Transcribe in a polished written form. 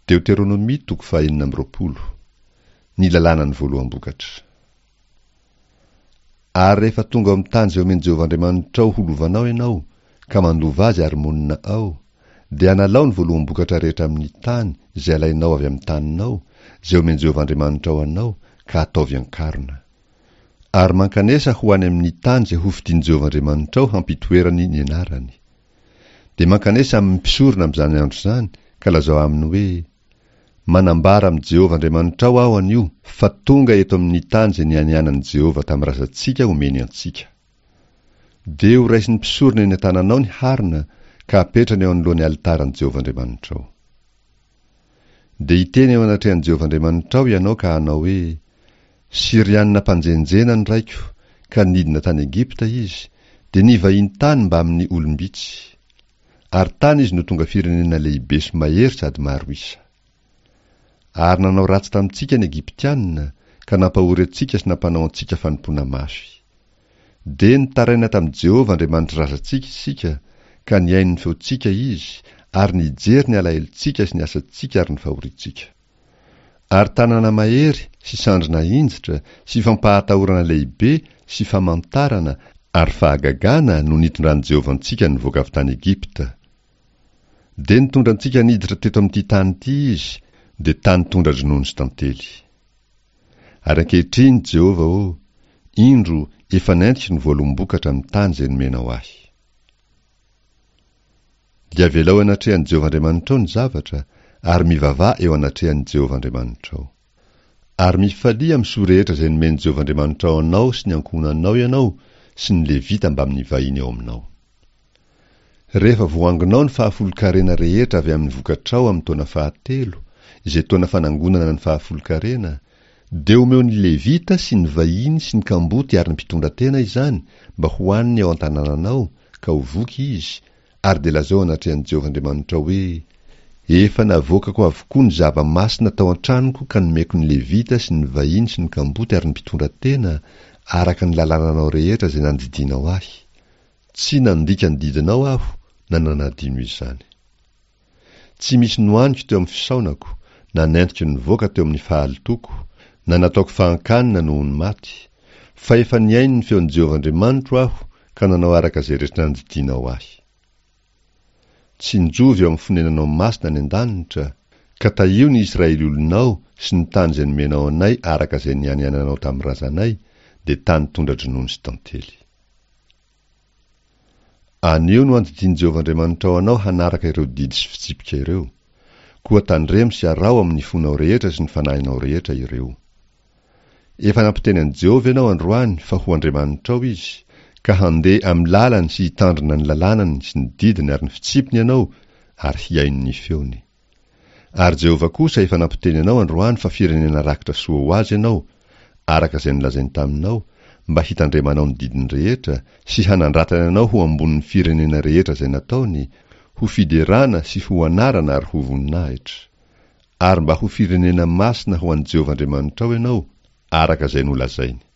Deoteronomia toko faha 26. Ny lalànan'ny voaloham-bokatra. Ary rehefa tonga ao amin'ny tany izay omen'i Jehovah Andriamanitrao ho lovanao ianao, ka mandova azy ary monina ao, dia analao ny voaloham-bokatra rehetra amin'ny tany izay alainao avy amin'ny taninao, izay omen'i Jehovah Andriamanitrao anao, ka ataovy an-karona. Ary mankanesa ho any amin'ny tany izay hofidin'i Jehovah Andriamanitrao hampitoerany ny anarany. Dia mankanesa amin'ny mpisorona amin'izany andro izany, ka lazao aminy hoe, Manambara amin'i Jehovah Andriamanitrao aho anio fa tonga eto amin'ny tany izay nianianan'i Jehovah tamin'ny razantsika homeny antsika. Dia horaisin'ny mpisorona eny an-tananao ny harona ka hapetrany eo anoloan'ny alitaran'i Jehovah Andriamanitrao. Dia hiteny eo anatrehan'i Jehovah Andriamanitrao ianao ka hanao hoe, Syrianina mpanjenjena ny raiko, ka nidina tany Egypta izy, dia nivahiny tany mbamin'ny olom-bitsy. Ary tany izy no tonga firenena lehibe sy mahery sady maro isa. Ary nanao ratsy tamintsika ny Egyptianina, ka nampahory antsika sy nampanao antsika fanompoana mafy. Dia nitaraina tamin'i Jehovah Andriamanitry razantsika isika, ka nihaino ny feontsika izy, ary nijery ny alahelontsika sy ny asantsika ary ny fahoriantsika. Ary tanana mahery sy sandry nahinjitra sy fampahatahorana lehibe sy famantarana ary fahagagana no nitondran'i Jehovah antsika nivoaka avy tany Egypta. Dia nitondra antsika niditra teto amin'ity tany ity Izy, dia tany tondra-dronono sy tantely. Ary ankehitriny, Jehovah ô, indro, efa nentiko ny voaloham-bokatra amin'ny tany izay nomenao ahy. Dia avelao eo anatrehan'i Jehovah Andriamanitrao ny zavatra, ary mivavaha eo anatrehan'i Jehovah Andriamanitrao. Ary mifalia amin'ny soa rehetra izay nomen'i Jehovah Andriamanitrao anao sy ny ankohonanao ianao sy ny Levita mbamin'ny vahiny ao aminao. Rehefa voangonao ny fahafolonkarena rehetra avy amin'ny vokatrao amin'ny taona fahatelo, izay taona fanangonana ny fahafolonkarena, dia omeo ny Levita sy ny vahiny sy ny kamboty ary ny mpitondratena izany mba hohaniny ao an-tanànanao, ka ho voky izy, ary dia lazao anatrehan'i Jehovah Andriamanitrao hoe, Efa navoakako avokoa ny zava-masina tao an-tranoko ka nomeko ny Levita sy ny vahiny sy ny kamboty ary ny mpitondra tena, araka ny lalànanao rehetra izay nandidianao ahy. Tsy nandika ny didinao aho na nanadino izany. Tsy misy nohaniko teo amin'ny fisaonako, na nentiko nivoaka teo amin'ny fahalotoako, na nataoko fahan-kanina noho ny maty, fa efa nihaino ny feon'i Jehovah Andriamanitro aho ka nanao araka izay rehetra nandidianao ahy. Tsinjovy eo amin'ny fonenanao masina any an-danitra, ka tahio ny Israely olonao sy ny tany izay nomenao anay araka izay nianiananao tamin'ny razanay, dia tany tondra-dronono sy tantely. Anio no andidian'i Jehovah Andriamanitrao anao hanaraka ireo didy sy fitsipika ireo. Koa tandremo sy araho amin'ny fonao rehetra sy ny fanahinao rehetra ireo. Efa nampiteny an'i Jehovah ianao androany fa ho Andriamanitrao izy, ka handeha amin'ny lalany sy hitandrina ny lalànany sy ny didiny ary ny fitsipiny ianao ary hihaino ny feony. Ary Jehovah kosa efa nampiteny anao androany fa firenena rakitra soa ho azy ianao, araka izay nolazainy taminao, mba hitandremanao ny didiny rehetra sy hanandratany anao ho ambonin'ny firenena rehetra izay nataony, ho fiderana sy ho anarana ary ho voninahitra. Ary mba ho firenena masina ho an'i Jehovah Andriamanitrao ianao, araka izay nolazainy.